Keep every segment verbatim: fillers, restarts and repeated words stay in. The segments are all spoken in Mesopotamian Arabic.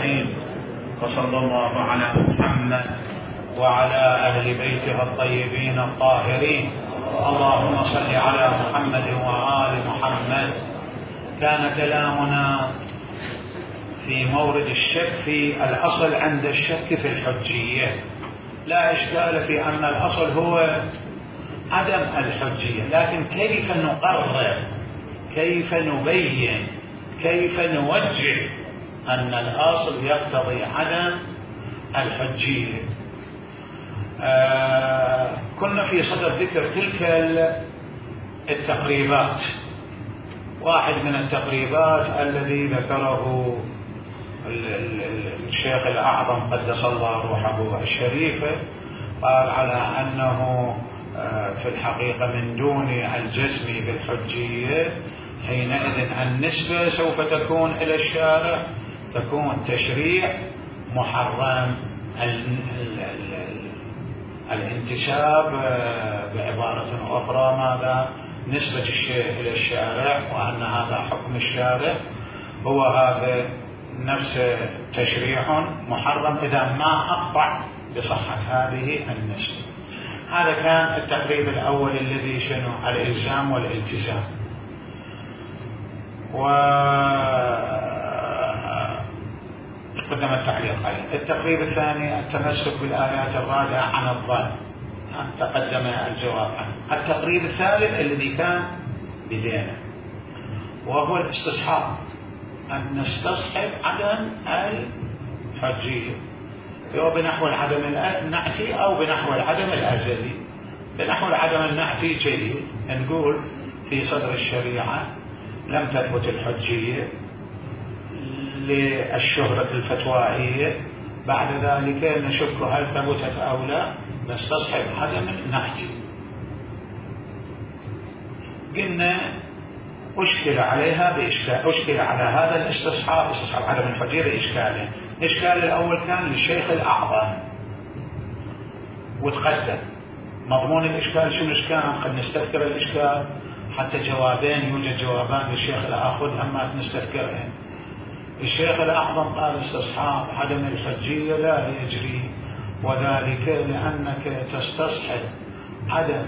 الرحيم. وصلى الله على محمد وعلى أهل بيته الطيبين الطاهرين. اللهم صل على محمد وآل محمد. كان كلامنا في مورد الشك في الأصل عند الشك في الحجية. لا إشكال في أن الأصل هو عدم الحجية، لكن كيف نقرر، كيف نبين، كيف نوجه أن الأصل يقتضي عدم الحجية. آه كنا في صدر ذكر تلك التقريبات. واحد من التقريبات الذي ذكره الشيخ الأعظم قدس الله روحه الشريفة، قال على أنه في الحقيقة من دون الجزم بالحجية حينئذ النسبة سوف تكون إلى الشارع، تكون تشريع محرم. الانتساب بعبارة أخرى ماذا؟ نسبة الشيء إلى الشارع، وأن هذا حكم الشارع، هو هذا نفس تشريع محرم إذا ما أقطع بصحة هذه النسبة. هذا كان التقريب الأول الذي شنو؟ الإلزام والالتزام. وقدم التعليق عليه. التقريب الثاني التمسك بالآيات الرادعة عن الظن، تقدم الجواب عنه. التقريب الثالث الذي كان بدينه وهو الاستصحاب، أن نستصحب عدم الحجية، أو بنحو العدم النعتي أو بنحو العدم الأزلي. بنحو العدم النعتي جيد، نقول في صدر الشريعة لم تثبت الحجية للشهرة الفتوائية، بعد ذلك نشك هل ثبتت أو لا، نستصحب عدم النعتي. قلنا أشكل عليها بإشكال، أشكل على هذا الاستصحاب، استصحاب عدم الحجية بإشكالين. الإشكال الأول كان للشيخ الأعظم وتقدم مضمون الإشكال. شو الإشكال؟ قد نستذكر الإشكال حتى جوابين، يوجد جوابان للشيخ الآخر أما نستذكرهن. الشيخ الأعظم قال استصحاب عدم الحجية لا يجري، وذلك لأنك تستصحب عدم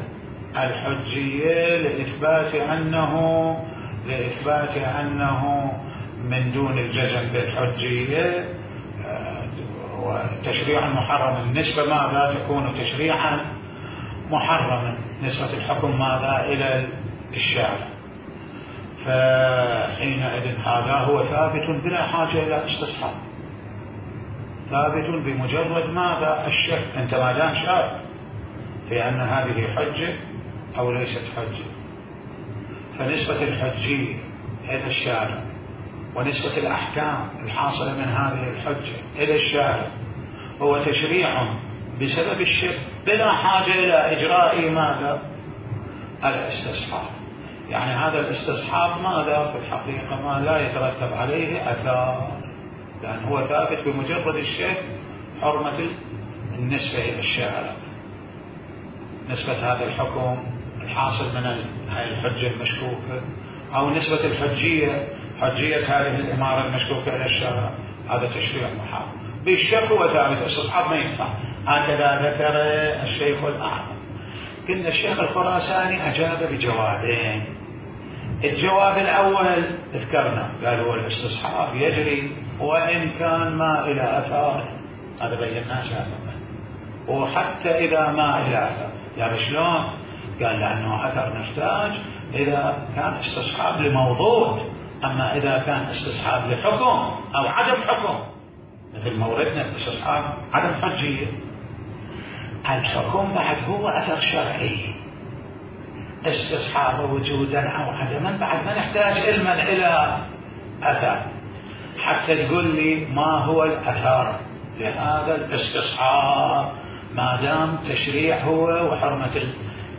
الحجية لإثبات أنه لإثبات أنه من دون الجزم بالحجية وتشريعا محرما. النسبة ماذا تكون تشريعا محرما، نسبة الحكم ماذا إلى الشارع. فحينئذ هذا هو ثابت بلا حاجة إلى استصحاب، ثابت بمجرد ماذا؟ الشك. أنت ما دام شاك في أن هذه حجة أو ليست حجة، فنسبة الحجية إلى الشارع ونسبة الأحكام الحاصلة من هذه الحجة إلى الشارع هو تشريع بسبب الشك بلا حاجة إلى إجراء ماذا؟ الاستصحاب. يعني هذا الاستصحاب ماذا؟ في الحقيقة ما لا يترتب عليه أثار، لأن هو ثابت بمجرد الشك حرمة النسبة إلى الشارع، نسبة هذا الحكم الحاصل من هذه الحجة المشكوكة، أو نسبة الحجية، حجية هذه الإمارة المشكوكة إلى الشارع، هذا تشريع محرم. بالشك هو ثابت، استصحاب ما ينفع. هكذا ذكر الشيخ الأعظم. قلنا الشيخ الخراساني أجاب بجوابين. الجواب الأول ذكرنا، قال هو الاستصحاب يجري وإن كان ما إلى أثار، هذا بيناه سابقا. وحتى إذا ما إلى أثر، يعني شلون؟ قال لأنه أثر نحتاج إذا كان استصحاب لموضوع، أما إذا كان استصحاب لحكم أو عدم حكم مثل موردنا استصحاب عدم حجية، الحكم بعد هو أثر شرعي. استصحاب وجودا أو عدما بعد ما نحتاج علما إلى أثر حتى تقول لي ما هو الأثر لهذا الاستصحاب، ما دام تشريع هو وحرمة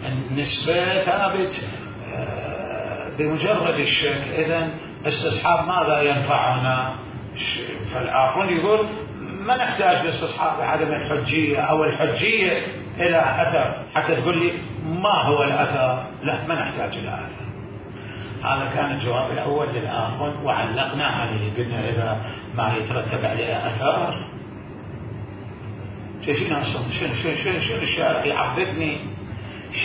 النسبة ثابت بمجرد الشك، إذن استصحاب ماذا ينفعنا؟ فالآخرون يقول ما نحتاج لاستصحاب عدم الحجية أو الحجية إلى أثر حتى تقول لي ما هو الأثر، لا ما نحتاج إلى أثر. هذا كان الجواب الأول للآخر وعلقنا عليه، قلنا إذا ما يترتب عليه أثار شنو أصلا شنو شنو شنو شنو الشارع يعبدني،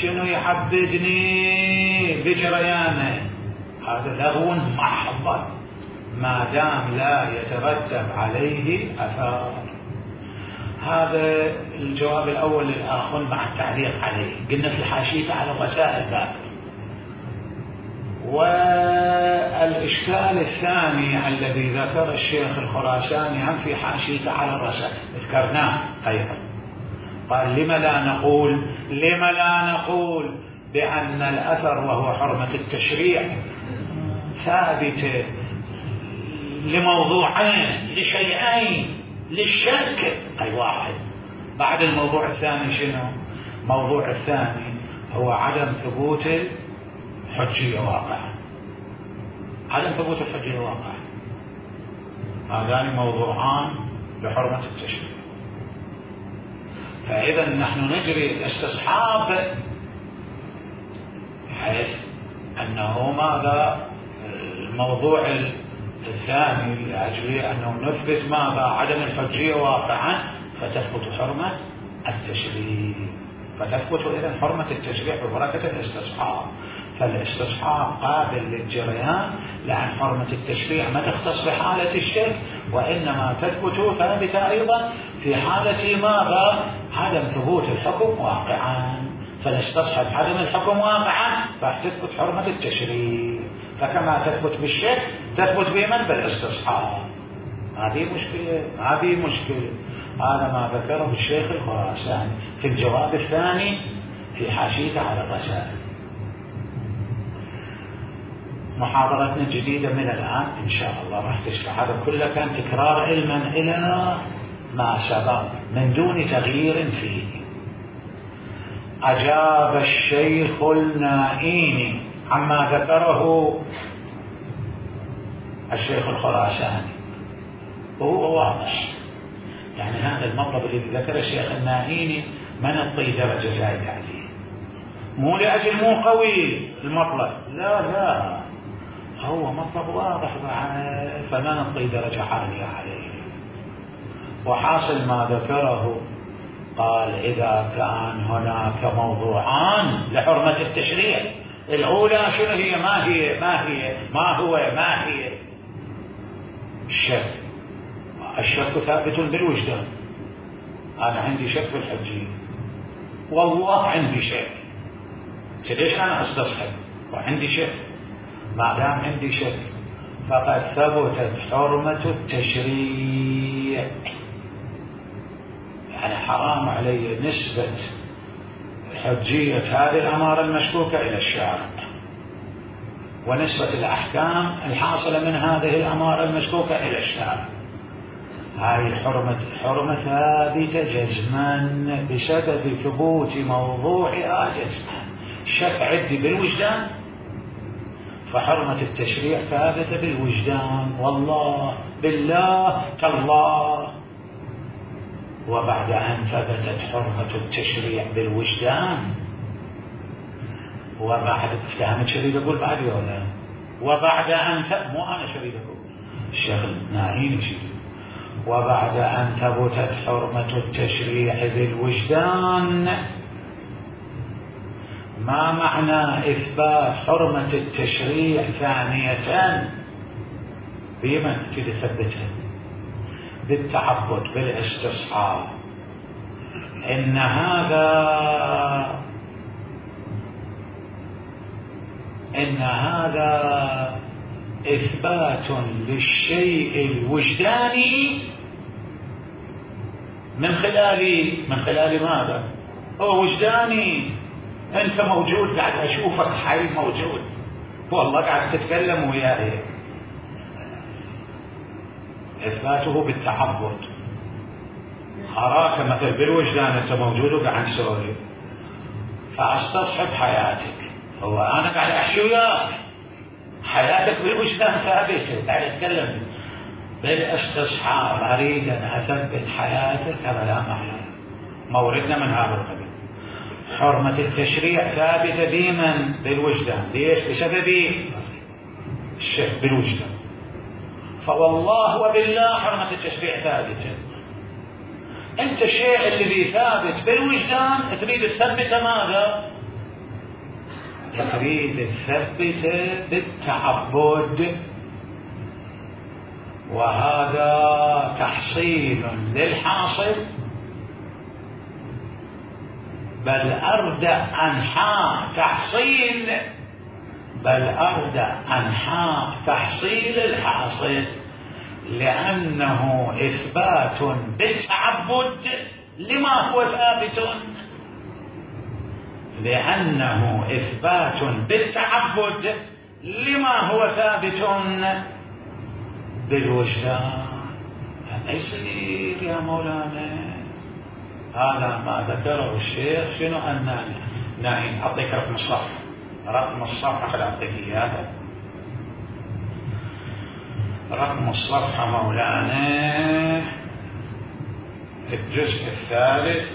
شنو يعبدني بجريانه، هذا لغو محض ما دام لا يترتب عليه أثار. هذا الجواب الأول للآخر مع التعليق عليه. قلنا في الحاشية على الرسائل ذاك. والإشكال الثاني الذي ذكر الشيخ الخراساني هم في حاشية على الرسائل ذكرناه أيضا، قال لم لا نقول لم لا نقول بأن الأثر وهو حرمة التشريع ثابتة لموضوعين لشيئين للشك أي واحد. بعد الموضوع الثاني شنو؟ موضوع الثاني هو عدم ثبوت الحجية واقعا، عدم ثبوت الحجية واقعا. هذان موضوعان لحرمة التشريع. فإذا نحن نجري الاستصحاب حيث أنه ماذا الموضوع الثاني لأجل أنه نثبت ماذا عدم الحجية واقعا فتثبت حرمة التشريع، فتثبت إذن حرمة التشريع ببركة الاستصحاب. فالاستصحاب قابل للجريان، لأن حرمة التشريع ما تختص بحالة الشك، وإنما تثبت ثابتة أيضا في حالة ماذا عدم ثبوت الحكم واقعا. فنستصحب عدم الحكم واقعا راح تثبت حرمة التشريع، فكما تثبت بالشك تثبت بمن بالاستصحاب. هذه مشكلة، هذه مشكلة. هذا ما ذكره الشيخ الخراساني في الجواب الثاني في حاشيته على الرسائل. محاضرتنا الجديدة من الآن إن شاء الله راح تشرح هذا كله، كان تكرار علما إلى ما سبق من دون تغيير فيه. أجاب الشيخ النائيني عما ذكره الشيخ الخراساني وهو واضح، يعني هذا المطلب الذي ذكر الشيخ النائيني ما نعطي درجة زايدة عليه، مو لأجل مو قوي المطلب، لا لا هو مطلب واضح فما نعطي درجة عالية عليه. وحاصل ما ذكره قال إذا كان هناك موضوعان لحرمة التشريع، الأولى شنو هي؟ ما هي ما هي ما هو ما هي الشك. الشك ثابت بالوجدان. أنا عندي شك في الحجية، والله عندي شك، ليش أنا أستصحب وعندي شك؟ ما دام عندي شك فقد ثبتت حرمة التشريع، يعني حرام علي نسبة حجية هذه الأمارة المشكوكة إلى الشارع، ونسبة الأحكام الحاصلة من هذه الأمارة المشكوكة إلى الشارع. هذه الحرمة حرمة ثابتة جزما بسبب ثبوت موضوعها جزما. شك عندي بالوجدان، فحرمة التشريع ثابتة بالوجدان، والله بالله تالله. وبعد أن ثبتت حرمة التشريع بالوجدان، وبعد افتهمت شريد أقول بعد ولا وبعد أن ثبت، مو أنا شريد أقول، الشيخ الناهين شريد. وبعد أن ثبتت حرمة التشريع بالوجدان، ما معنى إثبات حرمة التشريع ثانية بمن تثبتها؟ بالتعبد بالاستصحاب. إن هذا إن هذا إثبات للشيء الوجداني من خلال من خلال ماذا؟ هو وجداني، أنت موجود قاعد أشوفك حي موجود، والله قاعد تتكلم وياي. إثباته بالتعبد، أراك مثل بالوجدان أنت موجود وقاعد تسولف، فأستصحب حياتك، هو أنا قاعد أحكي وياك، حياتك بالوجدان ثابتة، قاعد أتكلم بالاستصحاب، أريد أن أثبت حياتك كما لا محل. موردنا من هذا القبيل. حرمة التشريع ثابتة ديما بالوجدان، ليش؟ بسبب الشك بالوجدان. فوالله وبالله حرمة التشريع ثابتة. أنت الشيء الذي ثابت بالوجدان تريد تثبته ماذا؟ تريد تثبته بالتعبد، وهذا تحصيل للحاصل، بل أردع أنحاء تحصيل بل أردع أنحاء تحصيل الحاصل، لأنه إثبات بالتعبد لما هو ثابت لأنه إثبات بالتعبد لما هو ثابت بالوجدان. هذا يصير يا مولانا، هذا ما ذكره الشيخ. شنو أن نعم أعطيك رقم الصفحة، رقم الصفحة خل أعطيك إياها. رقم الصفحة مولانا الجزء الثالث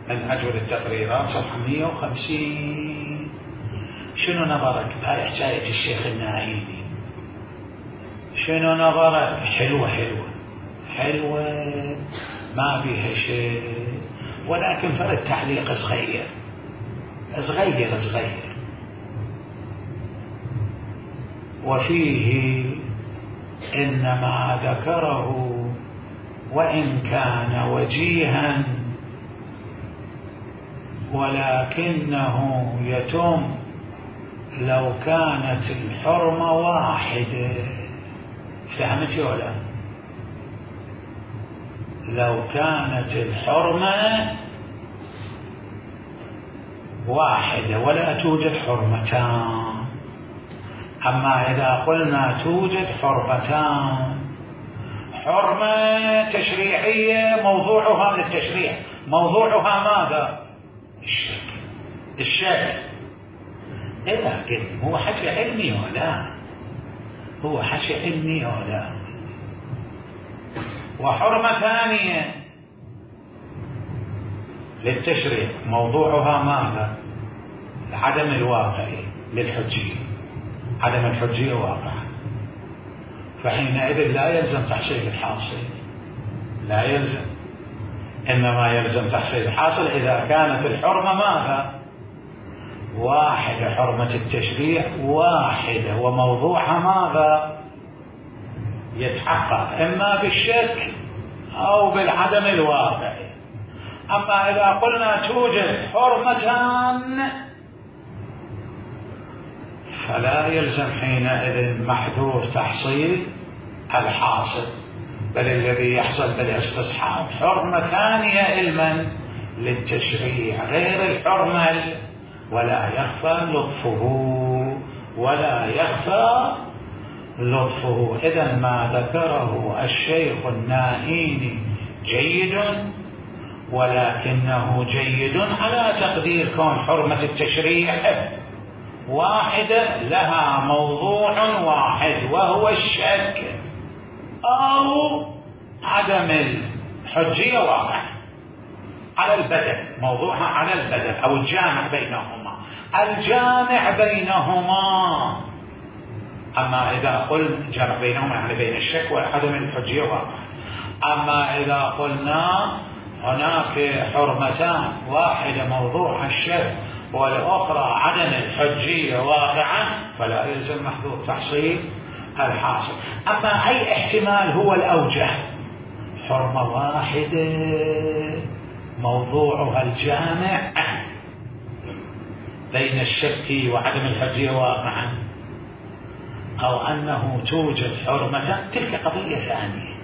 من أجل التقريرات صفحة مئة وخمسين. شنو نظرك بهاي حكاية الشيخ النائيني؟ شنو نظرك؟ حلوة حلوة حلوة ما فيها شيء، ولكن فرد تعليق صغير صغير صغير، وفيه إن ما ذكره وإن كان وجيها ولكنه يتم لو كانت الحرمة واحدة. فهمت ولا؟ لو كانت الحرمة واحدة ولا توجد حرمتان. أما إذا قلنا توجد حرمتان، حرمة تشريعية موضوعها من التشريع، موضوعها ماذا؟ الشك. الشك إذا كده هو حكي علمي ولا هو حكي علمي ولا. وحرمة ثانية للتشريع موضوعها ماذا؟ عدم الواقعي للحجية، عدم الحجية واقعا، فحينئذ لا يلزم تحصيل الحاصل، لا يلزم، إنما يلزم تحصيل الحاصل إذا كانت الحرمة ماذا؟ واحدة، حرمة التشريع واحدة، وموضوعها ماذا؟ يتحقق إما بالشك أو بالعدم الواقعي. أما إذا قلنا توجد حرمتان فلا يلزم حينئذ محذور تحصيل الحاصل، بل الذي يحصل بالاستصحاب حرمة ثانية علما للتشريع غير الحرمة، ولا يخفى لطفه ولا يخفى لطفه. إذا ما ذكره الشيخ النائيني جيد، ولكنه جيد على تقدير كون حرمة التشريع واحدة لها موضوع واحد وهو الشك أو عدم الحجية واقع على البدن، موضوعها على البدن أو الجامع بينهما، الجامع بينهما. أما إذا قلنا جامع بينهما يعني بين الشك وعدم الحجية واقع. أما إذا قلنا هناك حرمتان، واحدة موضوع الشك والأخرى عدم الحجية واقعا، فلا يلزم محذور تحصيل الحاصل. أما أي احتمال هو الأوجه؟ حرمة واحدة موضوعها الجامع بين الشك وعدم الحجية واقعا، أو أنه توجد حرمة، تلك قضية ثانية،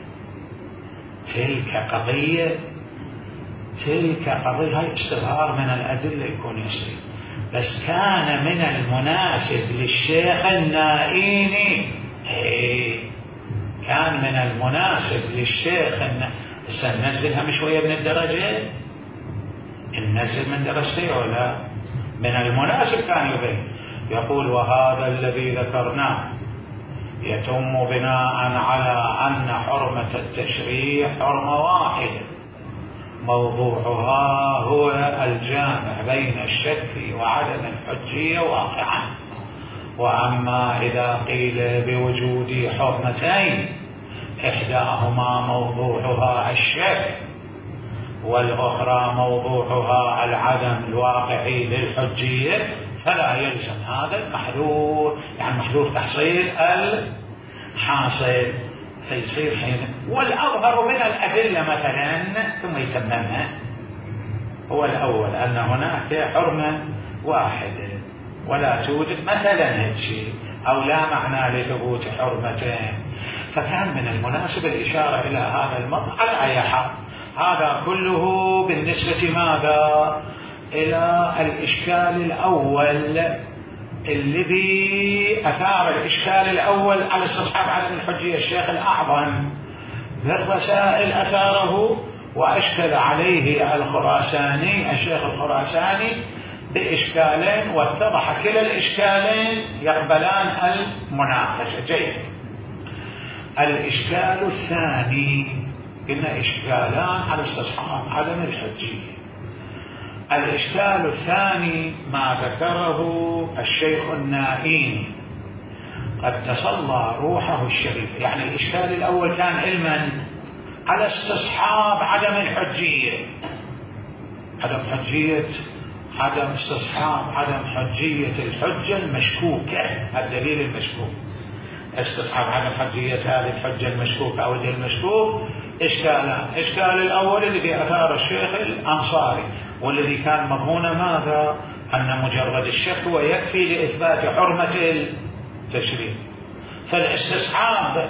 تلك قضية تلك قضية هاي استظهار من الأدلة يكون يصير. بس كان من المناسب للشيخ النائيني، كان من المناسب للشيخ النائيني، سننزلها مش شوية من الدرجة، ننزل من درجتين ولا من المناسب كان يبين يقول وهذا الذي ذكرناه يتم بناء على أن حرمة التشريع حرمة واحدة موضوعها هو الجامع بين الشك وعدم الحجية واقعا، وأما إذا قيل بوجود حرمتين إحداهما موضوعها الشك والأخرى موضوعها العدم الواقعي للحجية فلا يلزم هذا المحذور، يعني محذور تحصيل الحاصل، فيصير حين والأظهر من الأدلة مثلا ثم يتممها هو الأول أن هناك حرمة واحدة ولا توجد مثلا هيك شيء أو لا معنى لثبوت حرمتين، فكان من المناسب الإشارة إلى هذا الموضوع على أي حال. هذا كله بالنسبة ماذا إلى الإشكال الأول الذي أثار الإشكال الأول على استصحاب عدم الحجية الشيخ الأعظم بالرسائل أثاره، وأشكل عليه الخراساني الشيخ الخراساني بإشكالين، واتضح كلا الإشكالين يقبلان المناقشة. جيد. الإشكال الثاني إن إشكالان على استصحاب عدم الحجية. الإشكال الثاني ما ذكره الشيخ النائين قد تصلى روحه الشريف، يعني الإشكال الأول كان علما على استصحاب عدم الحجية، عدم حجية عدم استصحاب عدم حجية الحجة المشكوكة، الدليل المشكوك، استصحاب عدم حجية هذه الحجة المشكوكة أو الدليل المشكوك إشكالان. إشكال الأول الذي أثار الشيخ الأنصاري والذي كان مضمون ماذا؟ أن مجرد الشك هو يكفي لإثبات حرمة التشريع، فالاستصحاب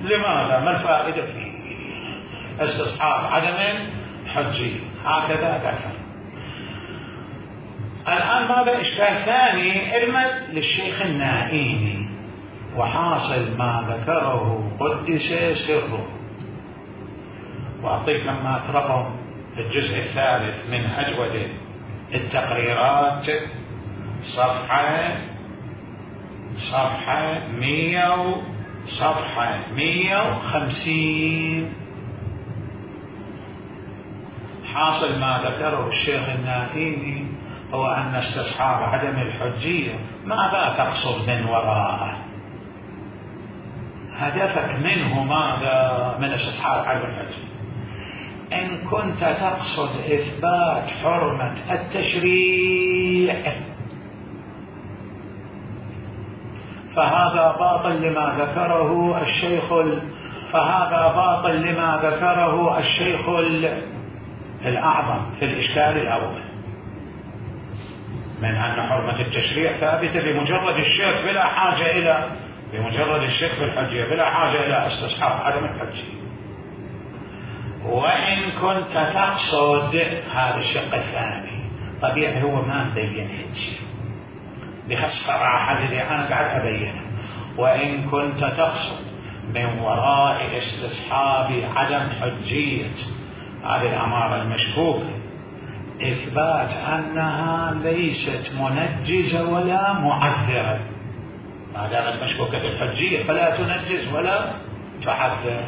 لماذا؟ ما الفائدة فيه؟ استصحاب عدم حجية هكذا ذكر. الآن ماذا إشكال ثاني علما للشيخ النائيني، وحاصل ما ذكره قدس سره. وأعطيك لما رقم الجزء الثالث من أجودة التقريرات صفحة صفحة مية صفحة مية وخمسين. حاصل ما ذكره الشيخ النائيني هو أن استصحاب عدم الحجية ماذا تقصد من وراءه؟ هدفك منه ماذا من استصحاب عدم الحجية؟ إن كنت تقصد إثبات حرمة التشريع فهذا باطل لما ذكره الشيخ ال... فهذا باطل لما ذكره الشيخ ال... الأعظم في الإشكال الأول من أن حرمة التشريع ثابتة بمجرد الشك بلا حاجة إلى بمجرد الشك في الحجية بلا حاجة إلى استصحاب عدم الحجية. وإن كنت تقصد هذا الشق الثاني طبيعي هو ما مبين هيك بهالصراحة الذي أنا قاعد أبينه. وإن كنت تقصد من وراء استصحاب عدم حجية هذه الأمارة المشكوكة إثبات أنها ليست منجزة ولا معذرة، ما دامت مشكوكة الحجية فلا تنجز ولا تعذر.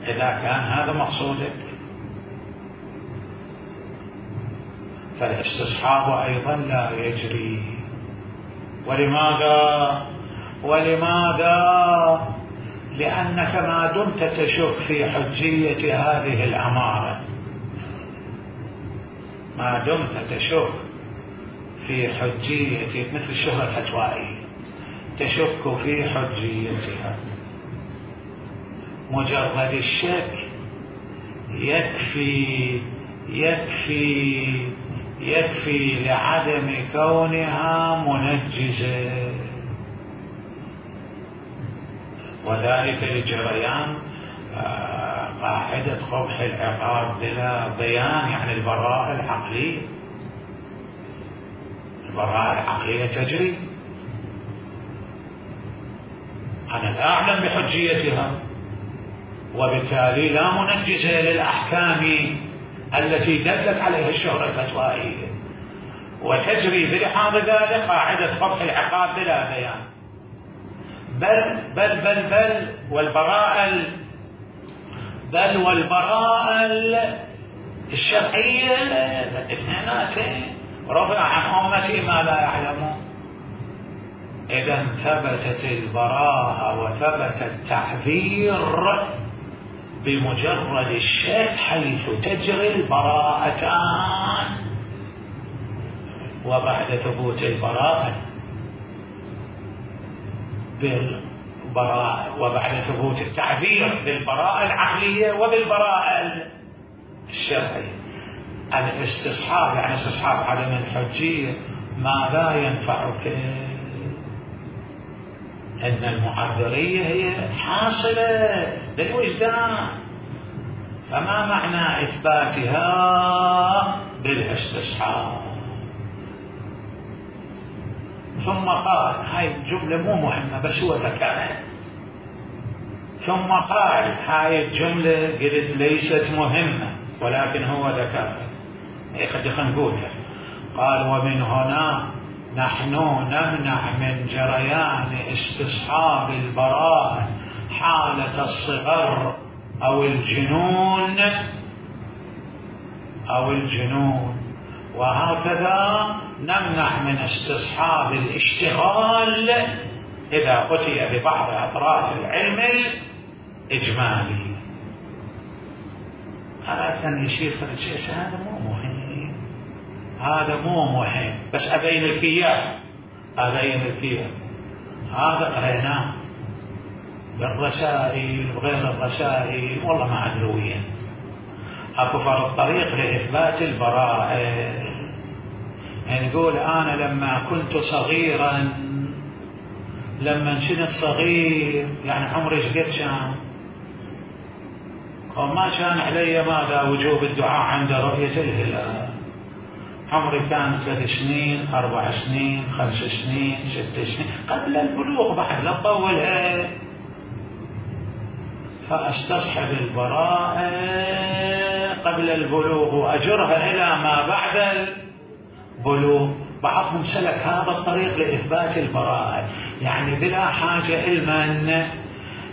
إذا كان هذا مقصودك فالاستصحاب أيضا لا يجري. ولماذا؟ ولماذا؟ لأنك ما دمت تشك في حجية هذه الأمارة، ما دمت تشك في حجية مثل الشهرة الفتوائية تشك في حجيتها، مجرد الشك يكفي يكفي يكفي لعدم كونها منجزة، وذلك لجريان قاعدة قبح العقاب بلا بيان، يعني البراءة العقلية البراءة العقلية تجري. أنا لا أعلم بحجيتها وبالتالي لا منجزة للأحكام التي دلت عليها الشهرة الفتوائية، وتجري بلحاظ ذلك قاعدة قبح العقاب بلا بيان. بل بل بل بل والبراءة بل والبراءة الشرعية الاثنيناتين رفع عن أمتي ما لا يعلمون. إذا ثبتت البراءة وثبت التعذير بمجرد الشك حيث تجري البراءتان، وبعد ثبوت البراءة بالبراءة وبعد ثبوت التعذير بالبراءة العقلية وبالبراءة الشرعية، الاستصحاب يعني استصحاب عدم الحجية ماذا ينفعك؟ أن المعذرية هي حاصلة للوجدان، فما معنى إثباتها بالاستصحاب؟ ثم قال، هاي الجملة مو مهمة بس هو ذكرها، ثم قال هاي الجملة قلت ليست مهمة ولكن هو ذكرها، هي قد نقولها. قال ومن هنا نحن نمنع من جريان استصحاب البراءة حالة الصغر أو الجنون أو الجنون وهكذا نمنع من استصحاب الاشتغال إذا أتي ببعض أطراف العلم الإجمالي. هذا أن يشير فالشيء هذا مو مهم، هذا مو مهم بس أبين لك إياه، أبين لك إياه. هذا قريناه بالرسائل وغير الرسائل والله ما أدري وين. أكو فرق طريق لإثبات البراءة، يعني يقول أنا لما كنت صغيرا، لما كنت صغير يعني عمري قد كان، وما كان علي ماذا وجوب الدعاء عند رؤية الهلال، عمري كان ثلاث سنين أربع سنين خمس سنين ست سنين قبل البلوغ بعد لا طولها، فاستصحب البراءة قبل البلوغ وأجرها إلى ما بعد البلوغ. بعضهم سلك هذا الطريق لإثبات البراءة، يعني بلا حاجة علما،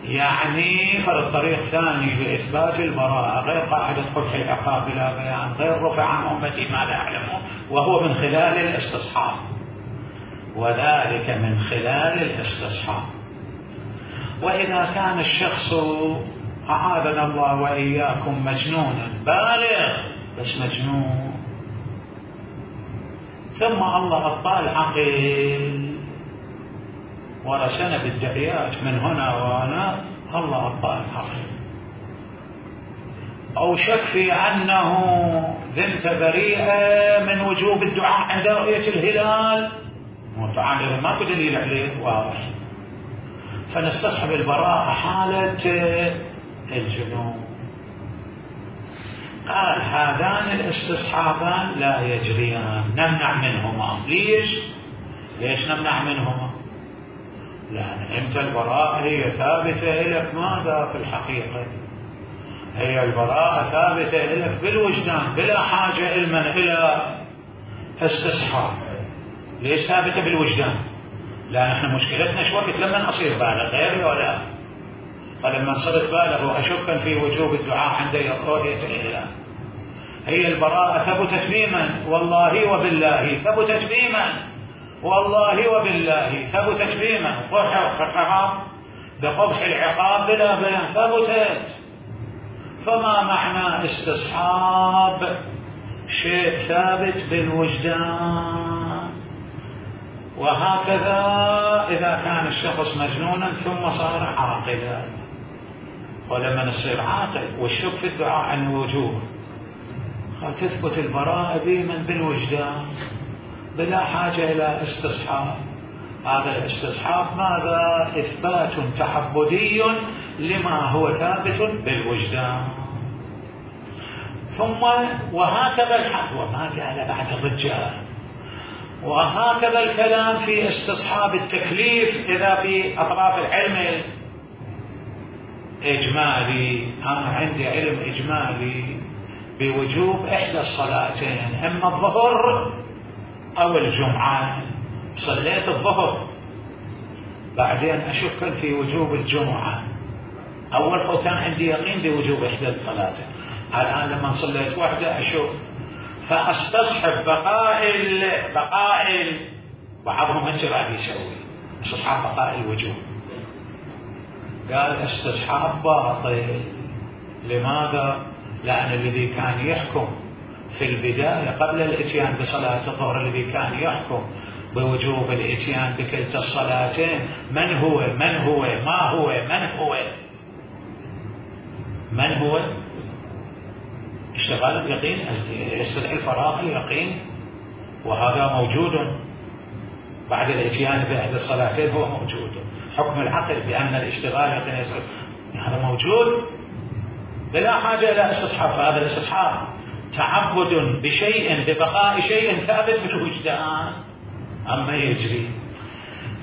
يعني فرد طريق ثاني لإثبات البراءة غير قاعدة قبح العقاب بلا بيان، غير رفع عن أمتي ما لا يعلمون، وهو من خلال الاستصحاب، وذلك من خلال الاستصحاب. وإذا كان الشخص أعاذنا الله وإياكم مجنونا بالغ بس مجنون، ثم الله أبطال عقل ورسنا بالدعيات من هنا وهنا، الله أبطال عقل، أو شك في أنه ذمت بريئة من وجوب الدعاء عند رؤية الهلال، متعامل ماكو دليل عليه واضح، فنستصحب البراءة حالة الجنون. قال هذان الاستصحابان لا يجريان، نمنع منهما. ليش؟ ليش نمنع منهما؟ لأن أنت البراءة هي ثابتة لك ماذا في الحقيقة؟ هي البراءة ثابتة لك بالوجدان بلا حاجة علما إلى استصحاب. ليش ثابتة بالوجدان؟ لأن احنا مشكلتنا شو وقت لما أصير بالغ غيري ولا، فلما صرت بالغ وأشك في وجوب الدعاء عند رؤية الهلال، هي البراءة ثبتت بمن؟ والله وبالله ثبتت بمن؟ والله وبالله ثبتت بمن؟ قبح بقبح العقاب بلا بيان ثبتت. فما معنى استصحاب شيء ثابت بالوجدان؟ وهكذا إذا كان الشخص مجنونا ثم صار عاقلا، ولما نصير عاقل والشك في الدعاء عن وجوه، تثبت البراءة بمن؟ بالوجدان بلا حاجة إلى استصحاب. هذا الاستصحاب ماذا؟ إثبات تحبدي لما هو ثابت بالوجدان. ثم وهكذا الحق، وما قال بعد الرجال، وهكذا الكلام في استصحاب التكليف إذا في أطراف العلم الإجمالي. أنا عندي علم إجمالي بوجوب إحدى الصلاتين، إما الظهر أو الجمعة، صليت الظهر بعدين أشك في وجوب الجمعة، أول كان عندي يقين بوجوب إحدى الصلاتين، الآن لما صليت واحدة أشك، فأستصحب بقاء بقاء بعضهم هالشي راح يسوي استصحاب بقاء الوجوب. قال استصحاب باطل. لماذا؟ لأن الذي كان يحكم في البداية قبل الاتيان بصلاة الظهر، الذي كان يحكم بوجوب الاتيان بكلتا الصلاتين من هو؟ من هو؟ ما هو؟ من هو؟ من هو؟ اشتغال اليقين، يستدعي الفراغ اليقين، وهذا موجود بعد الاتيان بأحد الصلاتين، هو موجود. حكم العقل بأن الاشتغال اليقين هذا موجود بلا حاجة إلى استصحاب. هذا الاستصحاب تعبد بشيء، ببقاء شيء ثابت بالوجدان أما يجري.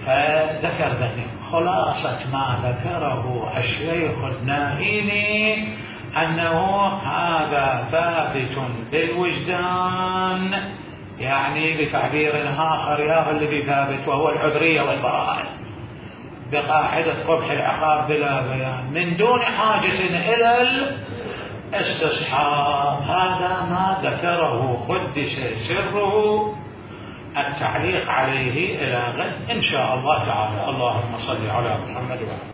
فذكر ذلك خلاصة ما ذكره الشيخ النائيني أنه هذا ثابت بالوجدان، يعني بتعبير آخر يا الذي ثابت وهو العذرية والبراءة بقاعدة قبح العقاب بلا بيان من دون حاجة إلى الاستصحاب. هذا ما ذكره قدس سره. التعليق عليه إلى غد إن شاء الله تعالى. اللهم صل على محمد وعلى